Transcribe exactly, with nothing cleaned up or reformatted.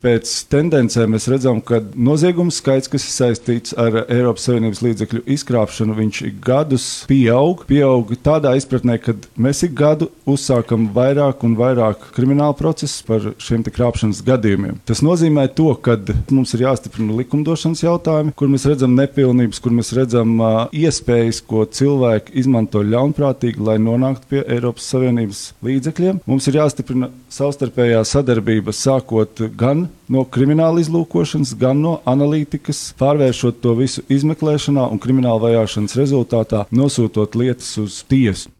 Pēc tendencēm mēs redzam, ka noziegumu skaits, kas ir saistīts ar Eiropas Savienības līdzekļu izkrāpšanu, viņš gadus pieaug. Pieaug tādā izpratnē, ka mēs ik gadu uzsākam vairāk un vairāk kriminālu procesus par šiem te krāpšanas gadījumiem. Tas nozīmē to, ka mums ir jāstiprina likumdošanas jautājumi, kur mēs redzam nepilnības, kur mēs redzam uh, iespējas, ko cilvēki izmanto ļaunprātīgi, lai nonāktu pie Eiropas Savienības līdzekļiem. Mums ir jāstiprina savstarpējā sadarbība, sākot gan no krimināla izlūkošanas, gan no analītikas, pārvēršot to visu izmeklēšanā un krimināla vajāšanas rezultātā nosūtot lietas uz tiesu.